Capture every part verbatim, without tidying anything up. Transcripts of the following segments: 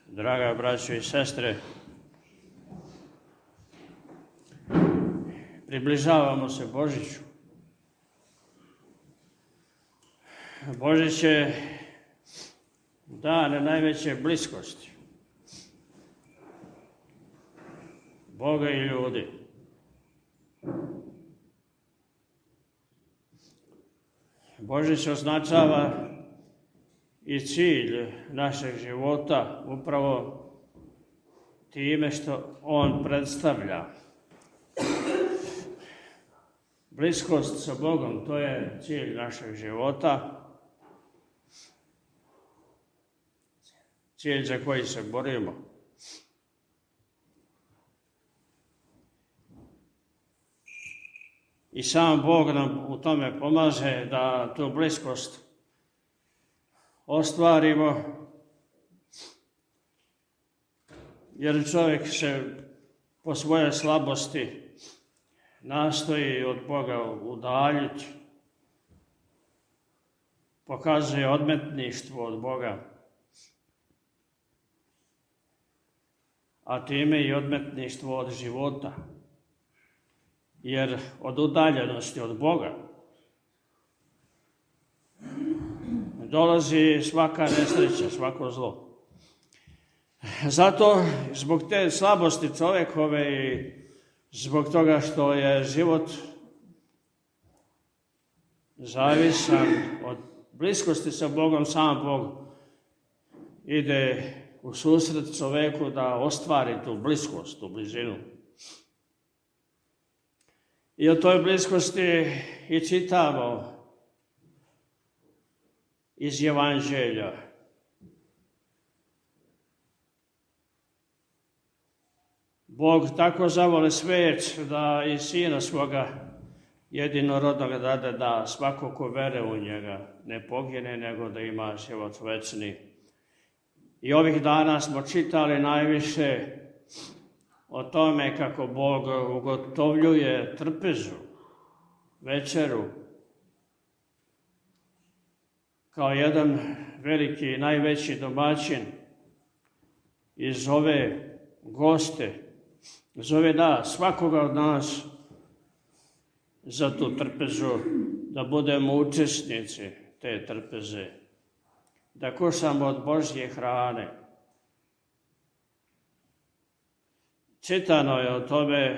Draga braćo i sestre, približavamo se Božiću. Božić je dan najveće bliskosti Boga i ljudi. Božić označava i cilj našeg života upravo time što on predstavlja. Bliskost sa Bogom, to je cilj našeg života, cilj za koji se borimo. I sam Bog nam u tome pomaže da tu bliskost ostvarimo, jer čovjek se po svojoj slabosti nastoji od Boga udaljiti, pokazuje odmetništvo od Boga, a time i odmetništvo od života, jer od udaljenosti od Boga dolazi svaka nesreća, svako zlo. Zato, zbog te slabosti čovjekove i zbog toga što je život zavisan od bliskosti sa Bogom, sam Bog ide u susret čovjeku da ostvari tu bliskost, tu blizinu. I o toj bliskosti i čitamo iz Evanđelja. Bog tako zavoli svijet da i Sina svoga jedinorodnoga dade da svako ko vere u njega ne pogine, nego da ima život večni. I ovih dana smo čitali najviše o tome kako Bog ugotovljuje trpezu, večeru, kao jedan veliki i najveći domaćin i zove goste, zove nas, svakoga od nas, za tu trpezu, da budemo učesnici te trpeze, da kušamo od Božje hrane. Čitano je o tome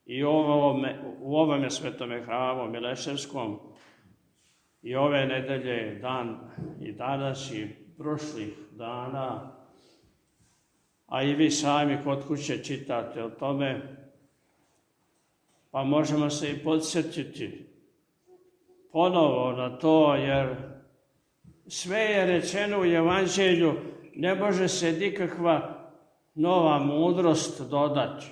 i u ovome, u ovome svetome hramu Mileševskom i ove nedelje, dan i danas i prošlih dana, a i vi sami kod kuće čitate o tome, pa možemo se i podsjetiti ponovo na to, jer sve je rečeno u Evanđelju, ne može se nikakva nova mudrost dodati.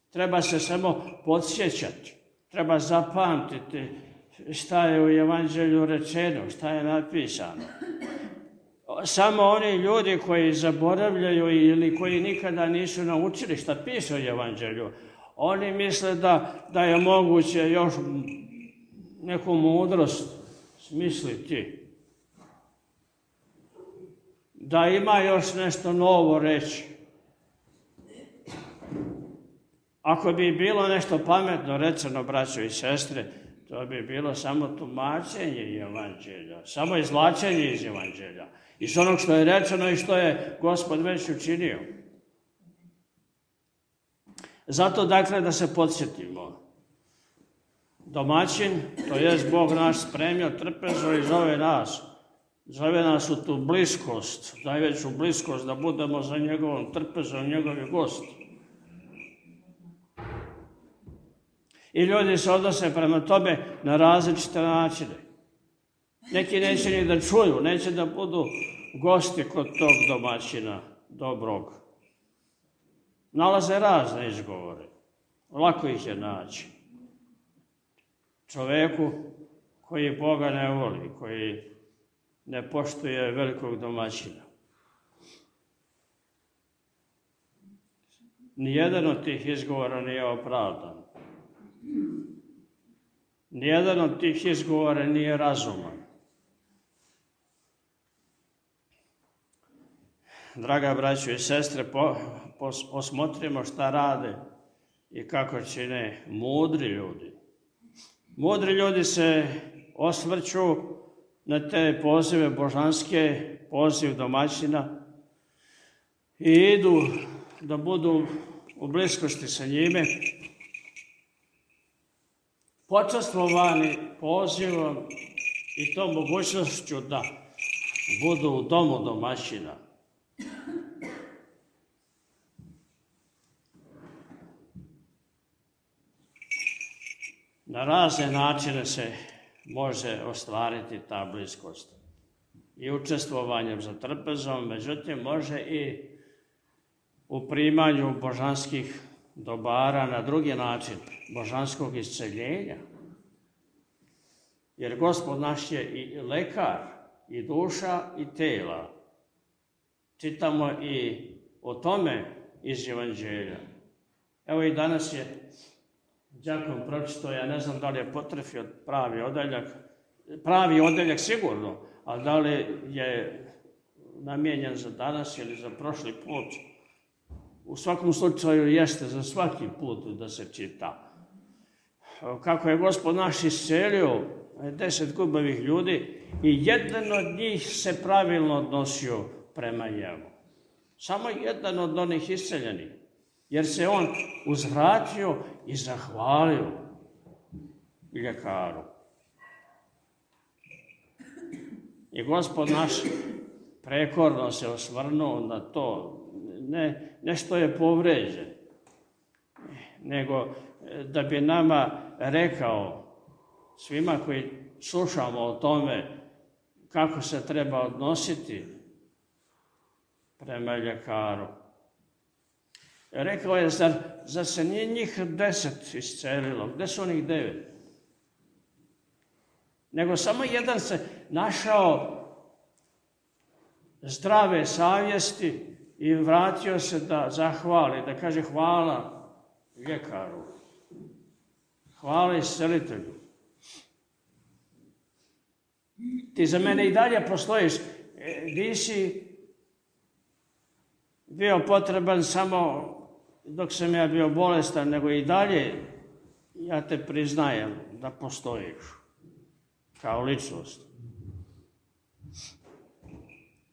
Treba se samo podsjećati, treba zapamtiti šta je u Evanđelju rečeno, šta je napisano. Samo oni ljudi koji zaboravljaju ili koji nikada nisu naučili šta piše u Evanđelju, oni misle da, da je moguće još neku mudrost smisliti, da ima još nešto novo reći. Ako bi bilo nešto pametno rečeno, braćo i sestre, to bi bilo samo tumačenje Evanđelja, samo izvlačenje iz Evanđelja, iz onog što je rečeno i što je Gospod već učinio. Zato, dakle, da se podsjetimo. Domaćin, to jest Bog naš, spremio trpezu i zove nas. Zove nas u tu bliskost, najveću bliskost, da budemo za njegovom trpezom, njegovi gosti. I ljudi se odnose prema tome na različite načine. Neki neće ni da čuju, neće da budu gosti kod tog domaćina dobrog. Nalaze razne izgovore. Lako ih je naći. Čoveku koji Boga ne voli, koji ne poštuje velikog domaćina. Nijedan od tih izgovora nije opravdan. Nijedan od tih izgovora nije razuman. draga braćo i sestre, po, po, osmotrimo šta rade i kako čine mudri ljudi. Mudri ljudi se osvrću na te pozive božanske, poziv domaćina i idu da budu u bliskosti sa njime, počastvovani pozivom i tom mogućnošću da budu u domu domaćina. Na razne načine se može ostvariti ta bliskost. I učestvovanjem za trpezom, međutim, može i u primanju božanskih dobara na drugi način, božanskog isceljenja. Jer Gospod naš je i lekar, i duša, i tela. Čitamo i o tome iz Evanđelja. Evo i danas je đakon pročitao, ja ne znam da li je potrefio pravi odeljak, pravi odeljak sigurno, ali da li je namijenjen za danas ili za prošli put. U svakom slučaju jeste za svaki put da se čita. Kako je Gospod naš iscelio deset gubavih ljudi i jedan od njih se pravilno odnosio prema njemu. Samo jedan od onih isceljenih. Jer se on uzvratio i zahvalio ljekaru. I Gospod naš prekorno se osvrnuo na to, ne, ne što je povređen, nego da bi nama rekao, svima koji slušamo o tome kako se treba odnositi prema ljekaru. Rekao je, zar, zar se nije njih deset iscelilo? Gde su onih devet? Nego samo jedan se našao zdrave savjesti i vratio se da zahvali, da kaže hvala ljekaru, hvala iscelitelju. Ti za mene i dalje postojiš, nisi bio potreban samo dok sam ja bio bolestan, nego i dalje ja te priznajem da postojiš kao ličnost.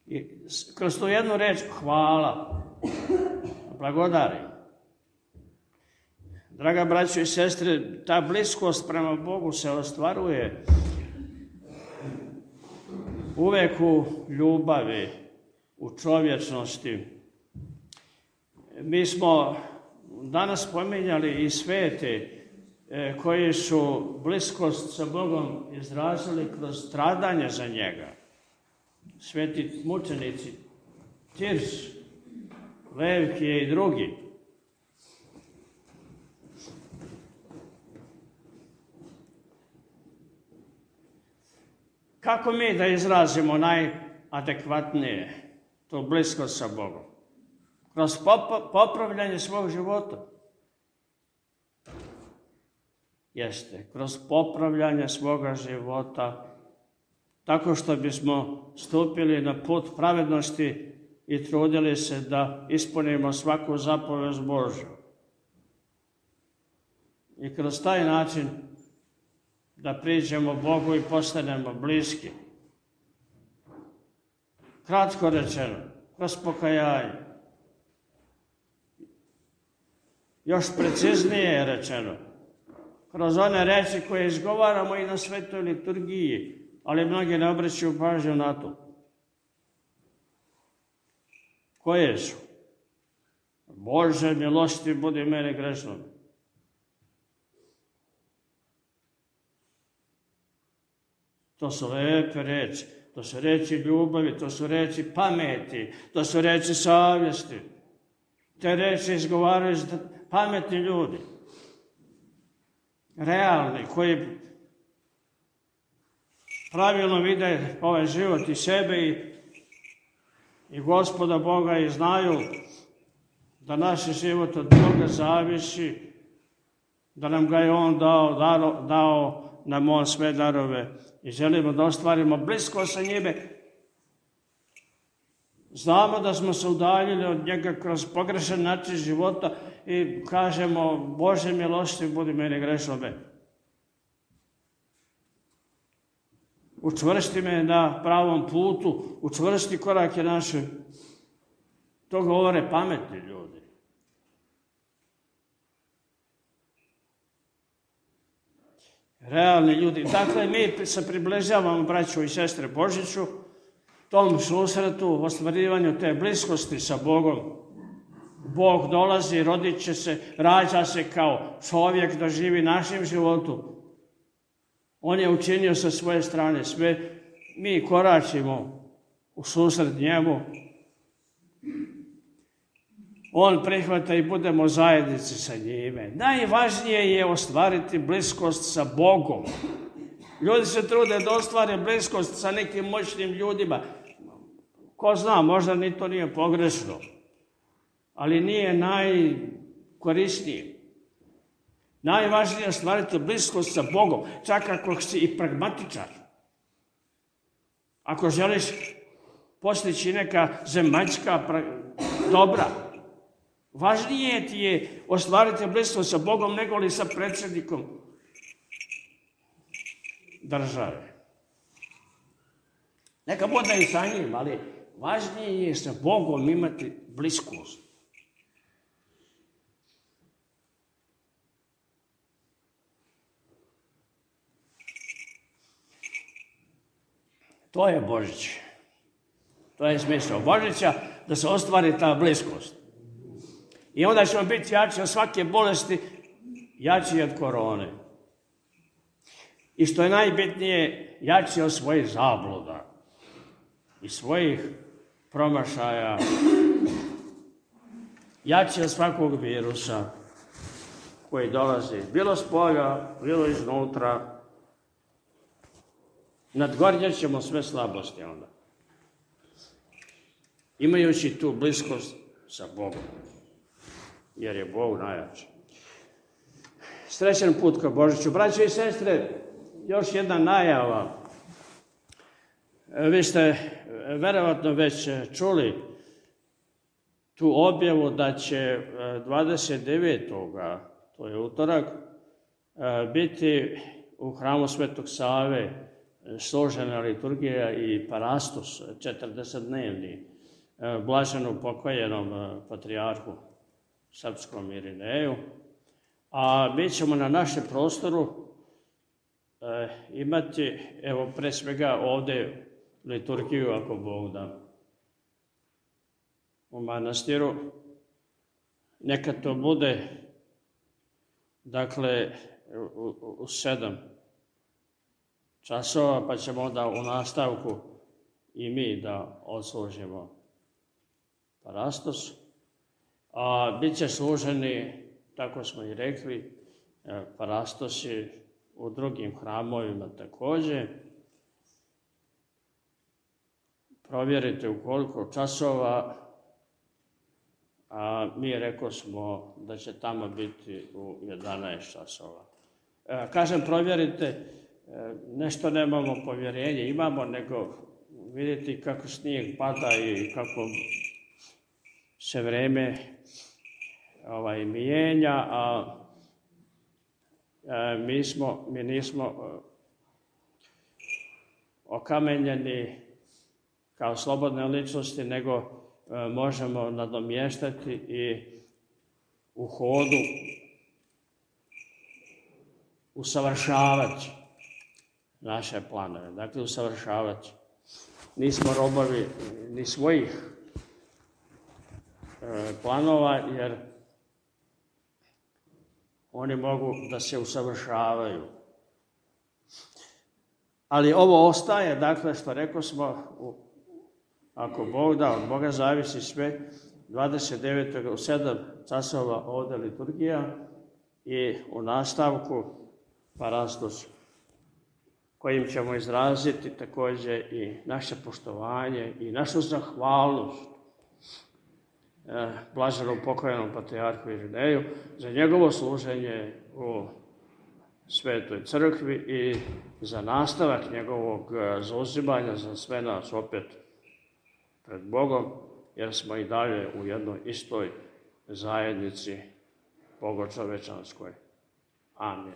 I kroz tu jednu reč hvala, blagodarim. Draga braćo i sestre, ta bliskost prema Bogu se ostvaruje uvek u ljubavi, u čovječnosti. Mi smo danas spominjali i svete koji su bliskost sa Bogom izrazili kroz stradanje za njega. Sveti mučenici Tirs, Levkije i drugi. Kako mi da izrazimo najadekvatnije tu bliskost sa Bogom? Kroz popravljanje svog života. Jeste, kroz popravljanje svoga života, tako što bismo stupili na put pravednosti i trudili se da ispunimo svaku zapovest Božju. I kroz taj način da priđemo Bogu i postanemo bliski. Kratko rečeno, kroz pokajanje. Još preciznije rečeno, kroz one reči koje izgovaramo i na svetoj liturgiji, ali mnogi ne obraćaju pažnju na to. Koje su? Bože, milosti budi meni grešnom. To su lepe reči, to su reči ljubavi, to su reči pameti, to su reči savjesti. Te reči izgovaraju pametni ljudi, realni, koji pravilno vide ovaj život i sebe i, i Gospoda Boga i znaju da naš život od Boga zavisi, da nam ga je On dao, dao, dao nam On sve darove i želimo da ostvarimo blisko sa njime Znamo da smo se udaljili od njega kroz pogrešan način života i kažemo, Bože milostiv, budi meni grešnome. Učvrsti me na pravom putu, učvrsti korake naše. To govore pametni ljudi. Realni ljudi. Dakle, mi se približavamo, braćo i sestre, Božiću, tom susretu, ostvarivanju te bliskosti sa Bogom. Bog dolazi, rodit će se, rađa se kao čovjek da živi našim životom. On je učinio sa svoje strane sve. Mi koračimo u susret njemu. On prihvata i budemo zajednici sa njime. Najvažnije je ostvariti bliskost sa Bogom. Ljudi se trude da ostvare bliskost sa nekim moćnim ljudima. Ko zna, možda ni to nije pogrešno, ali nije najkorisnije. Najvažnije je ostvariti bliskost sa Bogom, čak ako si i pragmatičar. Ako želiš postići neka zemaljska dobra, važnije ti je ostvariti bliskost sa Bogom nego li sa predsjednikom države. Neka bude i sa njim, ali važnije je sa Bogom imati bliskost. To je Božić. To je smisao Božića, da se ostvari ta bliskost. I onda ćemo biti jači od svake bolesti, jači od korone. I što je najbitnije, jači od svojih zabluda i svojih promašaja, jači od svakog virusa koji dolazi, bilo s polja, bilo iznutra. Nadgornjet ćemo sve slabosti onda, imajući tu bliskost sa Bogom, jer je Bog najjači. Srećan put ka Božiću. Braće i sestre, još jedna najava. Vi ste verovatno već čuli tu objavu da će dvadeset devetog to je utorak, biti u hramu Svetog Save složena liturgija i parastos četrdesetdnevni blaženo pokojnom patrijarhu srpskom Irineju. A mi ćemo na našem prostoru e, imati, evo, pre svega ovde liturgiju, ako Bog da, u manastiru. Neka to bude, dakle, u, u, u sedam časova, pa ćemo onda u nastavku i mi da odslužimo parastos. A bit će služeni, tako smo i rekli, parastosi u drugim hramovima također. Provjerite u koliko časova, a mi rekao smo da će tamo biti u jedanaest časova. Kažem, provjerite, nešto nemamo povjerenje, imamo, nego vidite kako snijeg pada i kako se vreme ovaj, mijenja, a, a mi, smo, mi nismo okamenjeni kao slobodne ličnosti, nego a, možemo nadomještati i u hodu usavršavati naše planove. Dakle, usavršavati. Nismo robovi ni svojih planova, jer oni mogu da se usavršavaju. Ali ovo ostaje, dakle, što rekao smo, ako Bog da, od Boga zavisi sve, dvadeset devetog u sedam časova ovde liturgija i u nastavku parastos, kojim ćemo izraziti također i naše poštovanje i našu zahvalnost blaženom pokojnom patrijarhu Irineju za njegovo služenje u Svetoj crkvi i za nastavak njegovog zauzimanja za sve nas opet pred Bogom jer smo i dalje u jednoj istoj zajednici bogočovečanskoj. Amin.